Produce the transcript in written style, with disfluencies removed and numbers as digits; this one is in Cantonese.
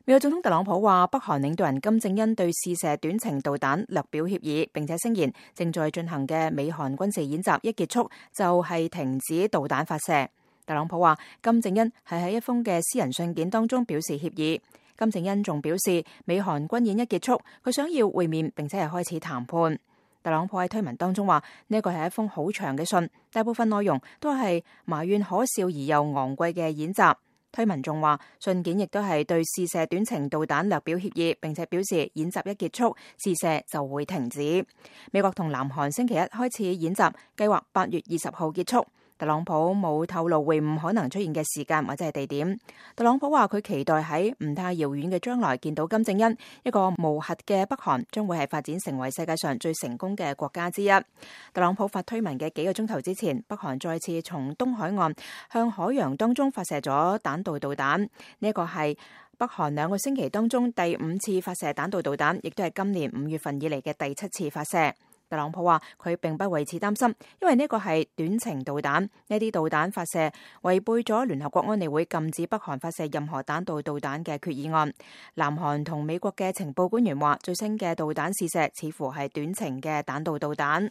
美國總統特朗普話，北韓領導人金正恩對試射短程導彈略表歉意，並且聲言正在進行嘅美韓軍事演習一結束就係停止導彈發射。特朗普話，金正恩係喺一封嘅私人信件當中表示歉意。金正恩仲表示，美韓軍演一結束，佢想要會面並且係開始談判。特朗普喺推文當中話，呢個係一封好長嘅信，大部分內容都係埋怨可笑而又昂貴嘅演習。推文仲話，信件亦都係對試射短程導彈略表歉意，並且表示演習一結束，試射就會停止。美國同南韓星期一開始演習，計劃8月20號結束。特朗普冇透露會晤可能出現嘅時間或者係地點。特朗普話佢期待喺唔太遙遠嘅將來見到金正恩，一個無核嘅北韓將會係發展成為世界上最成功嘅國家之一。特朗普發推文嘅幾個鐘頭之前，北韓再次從東海岸向海洋當中發射咗彈道導彈，呢一個係北韓2個星期當中第5次發射彈道導彈，亦都係今年5月份以嚟嘅第7次發射。特朗普話佢並不為此擔心，因為呢個係短程導彈，呢啲導彈發射違背咗聯合國安理會禁止北韓發射任何彈道導彈嘅決議案。南韓同美國嘅情報官員話，最新嘅導彈試射似乎係短程嘅彈道導彈。